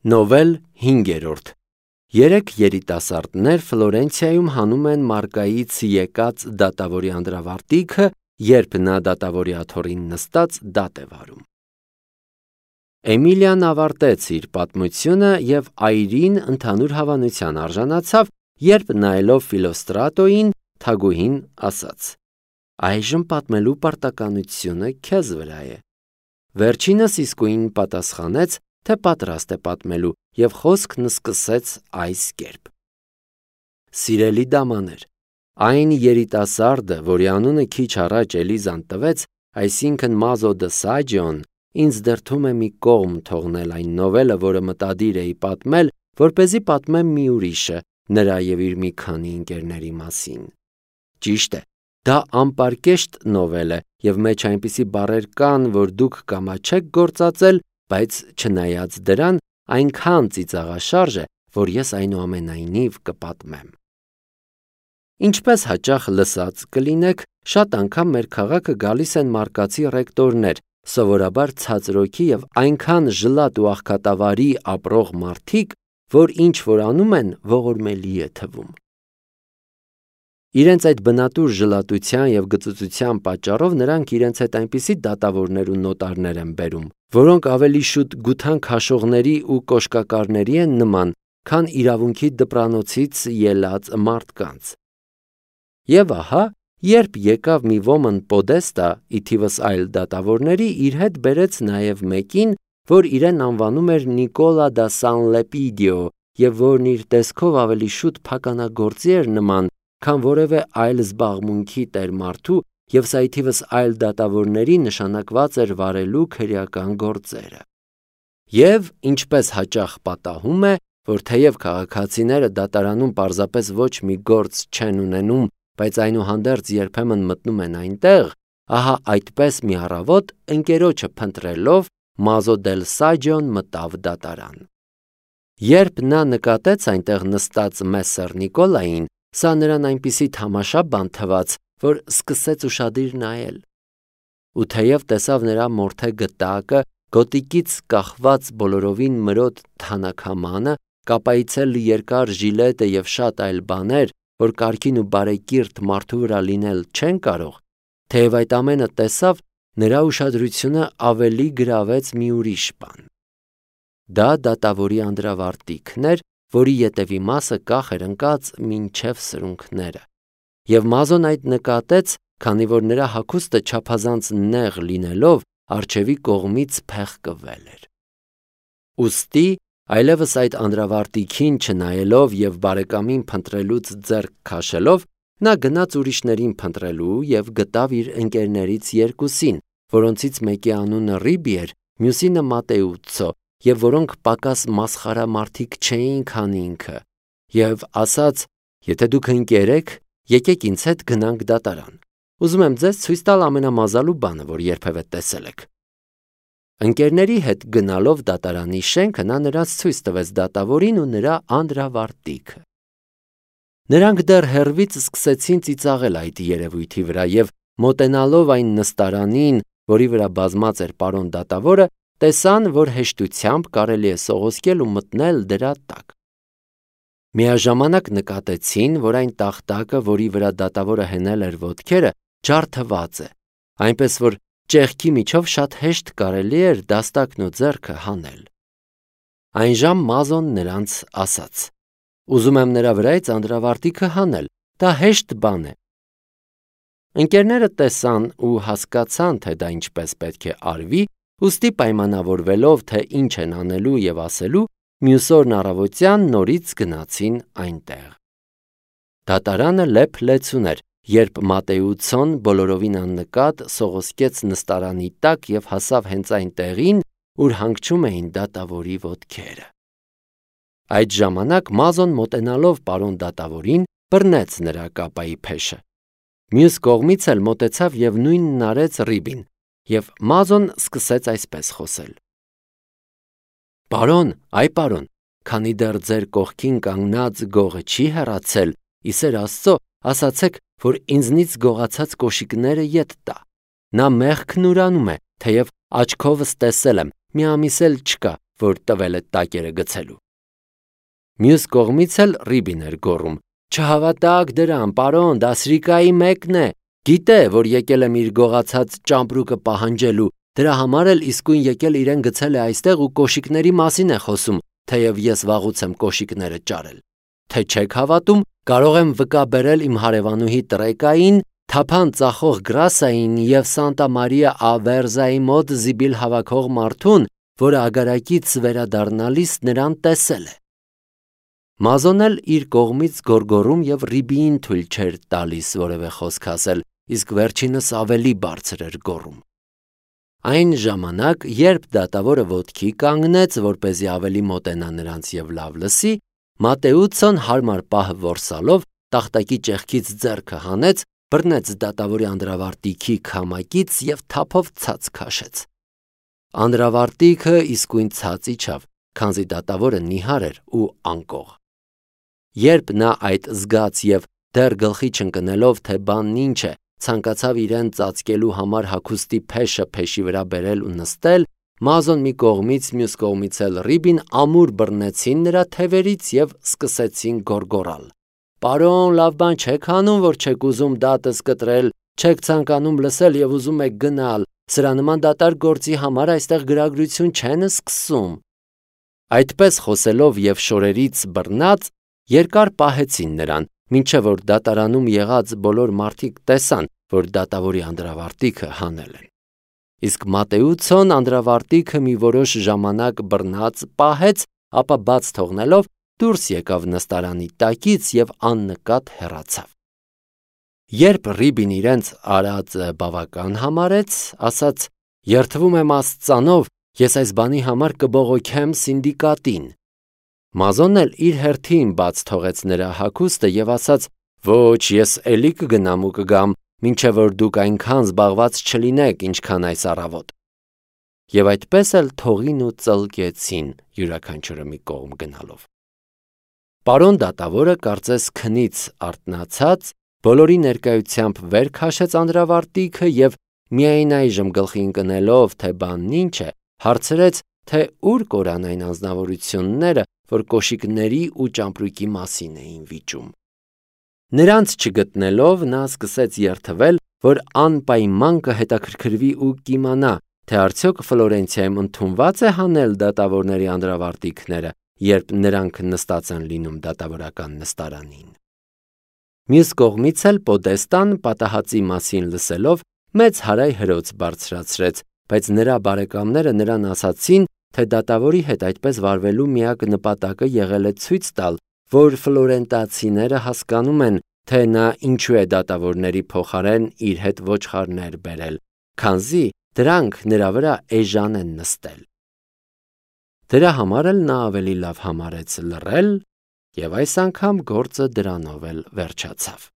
Նովել 5-րդ Երեք երիտասարդներ Ֆլորենցիայում հանում են մարգայից եկած դատավորի անդրավարտիքը, երբ նա դատավորի աթոռին նստած դատ է վարում։ Էմիլիան ավարտեց իր պատմությունը և այրին ընդհանուր հավանության արժանացավ, երբ նայելով Ֆիլոստրատոյին, թագուհին ասաց. «Այժմ պատմելու պարտականությունը քեզ վրա է»։ Վերջինս իսկույն պատասխանեց, թե պատրաստ է պատմելու, և խոսքն սկսեց այս կերպ. Սիրելի դամաներ, այն երիտասարդը, որի անունը քիչ առաջ Էլիզան տվեց, այսինքն Մազո դը Սաջիոն, ինձ դրդում է մի կողմ թողնել այն նովելը, որը մտադիր էի պատմել, որպեսզի պատմեմ մի ուրիշը, նրա և իր մի քանի ընկերների մասին։ Ճիշտ է, դա անպարկեշտ նովել է, և մեջ այնպիսի բառեր կան, որ դուք կամաչեք գործածել, բայց չնայած դրան, այնքան ծիծաղաշարժ է, որ ես այնուամենայնիվ կպատմեմ։ Ինչպես հաճախ լսած կլինեք, շատ անգամ մեր քաղաքը գալիս են մարկացի ռեկտորներ, սովորաբար ցածրօքի և այնքան ժլատ ու աղքատավարի ապրող մարդիկ, որ ինչ որ անում են, ողորմելի է թվում։ Իրենց այդ բնատուր ժլատության և գծուծության պատճառով նրանք իրենց հետ այնպիսի դատավորներ ու նոտարներ են բերում, որոնք ավելի շուտ գութան քաշողների ու կոշկակարների են նման, քան իրավունքի դպրանոցից ելած մարդկանց։ Եվ ահա, երբ եկավ մի ոմն պոդեստա, ի թիվս այլ դատավորների, իր հետ բերեց նաև մեկին, որ իրեն անվանում էր Նիկոլա դա Սան Լեպիդիո, և որն իր տեսքով ավելի շուտ փականագործի էր նման, քան որևէ այլ զբաղմունքի տեր մարդու, և սա ի թիվս այլ դատավորների նշանակված էր վարելու քրեական գործերը։ Եվ, ինչպես հաճախ պատահում է, որ թեև քաղաքացիները դատարանում պարզապես ոչ մի գործ չեն ունենում, բայց այնուհանդերձ երբեմն մտնում են այնտեղ, ահա այդպես մի առավոտ, ընկերոջը փնտրելով, Մազո դել Սաջիոն մտավ դատարան։ Երբ նա նկատեց այնտեղ նստած Մեսսեր Նիկոլային, սա նրան այնպիսի թամաշա բան թվաց, որ սկսեց ուշադիր նայել։ Ու թեև տեսավ նրա մորթե գտակը, գոտիկից կախված բոլորովին մրոտ թանաքամանը, կապայցել երկար ժիլետը և շատ այլ բաներ, որ կարգին ու բարեկիրթ մարդու վրա լինել չեն կարող, թեև այդ ամենը տեսավ, նրա ուշադրությունը ավելի գրավեց մի ուրիշ բան։ Դա դատավորի անդրավարտիքն էր, որի ետևի մասը կախ էր ընկած մինչև սրունքները, և Մազոն այդ նկատեց, քանի որ նրա հագուստը չափազանց նեղ լինելով, առջևի կողմից փեղկվել էր։ Ուստի, այլևս այդ անդրավարտիքին չնայելով և բարեկամին փնտրելուց ձեռք քաշելով, նա գնաց ուրիշներին փնտրելու և գտավ իր ընկերներից երկուսին, որոնցից մեկի անունը Ռիբի էր, մյուսինը Մատեուցո, և որոնք պակաս մասխարա մարդիկ չէին, քան ինքը, և ասաց. «Եթե դուք ընկեր եք, եկեք ինձ հետ գնանք դատարան։ Ուզում եմ ձեզ ցույց տալ ամենամազալու բանը, որ երբևէ տեսել եք»։ Ընկերների հետ գնալով դատարանի շենքը նա նրանց ցույց տվեց դատավորին ու նրա անդրավարտիքը։ Նրանք դեռ հեռվից սկսեցին ծիծաղել այդ երևույթի վրա և, մոտենալով այն նստարանին, որի վրա բազմած էր պարոն դատավորը, տեսան, որ հեշտությամբ կարելի է սողոսկել ու մտնել դրա տակ։ Միաժամանակ նկատեցին, որ այն տախտակը, որի վրա դատավորը հենել էր ոտքերը, ջարդված է, այնպես որ ճեղքի միջով շատ հեշտ կարելի էր դաստակն ու ձեռքը հանել։ Այնժամ Մազոն նրանց ասաց. «Ուզում եմ նրա վրայից անդրավարտիքը հանել, դա հեշտ բան է»։ Ընկերները տեսան ու հասկացան, թե դա ինչպես պետք է արվի, ուստի պայմանավորվելով, թե ինչ են անելու և ասելու, մյուս օրն առավոտյան նորից գնացին այնտեղ։ Դատարանը լեփ-լեցուն էր, երբ Մատեուցոն բոլորովին աննկատ սողոսկեց նստարանի տակ և հասավ հենց այն տեղին, ուր հանգչում էին դատավորի ոտքերը։ Այդ ժամանակ Մազոն մոտենալով պարոն դատավորին, բռնեց նրա կապայի փեշը։ Մյուս կողմից էլ մոտեցավ և նույնն արեց Ռիբին, և Մազոն սկսեց այսպես խոսել. «Պարոն, այ պարոն, քանի դեռ ձեր կողքին կանգնած գողը չի հեռացել, ի սեր Աստծո, ասացեք, որ ինձնից գողացած կոշիկները ետ տա։ Նա մեղքն ուրանում է, թեև աչքովս տեսել եմ, մի ամիս էլ չկա, որ տվել է տակերը գցելու։ Մյուս կողմից էլ Ռիբին էր գոռում. «Չհավատաք դրան, պարոն, դասրիկայի մեկն է, գիտե, որ եկել եմ իր գողացած ճամպրուկը պահանջելու, դրա համար էլ իսկույն եկել իրեն գցել է այստեղ ու կոշիկների մասին է խոսում, թեև ես վաղուց եմ կոշիկները ճարել։ Թե չեք հավատում, կարող եմ վկա բերել իմ հարևանուհի Տրեկային, թափան ծախող Գրասային և Սանտա Մարիա ա Վերզայի մոտ զիբիլ հավաքող մարդուն, որը ագարակից վերադառնալիս նրան տեսել է»։ Մազոն էլ իր կողմից գոռգոռում և Ռիբիին թույլ չէր տալիս որևէ խոսք ասել, իսկ վերջինս ավելի բարձր էր գոռում։ Այն ժամանակ, երբ դատավորը ոտքի կանգնեց, որպեսզի ավելի մոտենա նրանց և լավ լսի, Մատեուցոն հարմար պահ որսալով տախտակի ճեղքից ձեռքը հանեց, բռնեց դատավորի անդրավարտիքի քամակից և թափով ցած քաշեց։ Անդրավարտիքը իսկույն ցած իջավ, քանզի դատավորը նիհար էր ու անկող։ Երբ նա այդ զգաց և դեռ գլխի չընկնելով, թե բանն ինչ է, ցանկացավ իրեն ծածկելու համար հագուստի փեշը փեշի վրա բերել ու նստել, Մազոն մի կողմից, մյուս կողմից էլ Ռիբին ամուր բռնեցին նրա թևերից և սկսեցին գոռգոռալ. «Պարոն, լավ բան չեք անում, որ չեք ուզում դատս կտրել, չեք ցանկանում լսել և ուզում եք գնալ, սրա նման դատարկ գործի համար այստեղ գրագրություն չեն սկսում»։ Այդպես խոսելով և շորերից բռնած, երկար պահեցին նրան, մինչև որ դատարանում եղած բոլոր մարդիկ տեսան, որ դատավորի անդրավարտիքը հանել են։ Իսկ Մատեուցոն անդրավարտիքը մի որոշ ժամանակ բռնած պահեց, ապա բաց թողնելով դուրս եկավ նստարանի տակից և աննկատ հեռացավ։ Երբ Ռիբին իրենց արածը բավական համարեց, ասաց. «Երդվում եմ Աստծանով, ես այս բանի համար կբողոքեմ սինդիկատին»։ Մազոնն էլ իր հերթին բաց թողեց նրա հագուստը և ասաց. «Ոչ, ես էլի կգնամ ու կգամ, մինչև որ դուք այնքան զբաղված չլինեք, ինչքան այս առավոտ»։ Եվ այդպես էլ թողին ու ծլկեցին, յուրաքանչյուրը մի կողմ գնալով։ Պարոն դատավորը կարծես քնից արթնացած, բոլորի ներկայությամբ վեր քաշեց անդրավարտիքը և միայն այժմ գլխի ընկնելով, թե բանն ինչ է, հարցրեց, թե ուր կորան այն անձնավորությունները, որ կոշիկների ու ճամպրուկի մասին էին վիճում։ Նրանց չգտնելով, նա սկսեց երդվել, որ անպայման կհետաքրքրվի ու կիմանա, թե արդյոք Ֆլորենցիայում ընդունված է հանել դատավորների անդրավարտիքները, երբ նրանք նստած են լինում դատավորական նստարանին։ Մյուս կողմից էլ Պոդեստան պատահածի մասին լսելով մեծ հարայ հրոց բարձրացրեց, բայց նրա բարեկամները նրան ասացին, թե դատավորի հետ այդպես վարվելու միակ նպատակը եղել է ցույց տալ, որ ֆլորենտացիները հասկանում են, թե նա ինչու է դատավորների փոխարեն իր հետ ոչխարներ բերել, քանզի դրանք նրա վրա էժան են նստել։ Դրա համար էլ նա ավելի լավ համարեց լռել, և այս անգամ գործը դրանով էլ վերջացավ։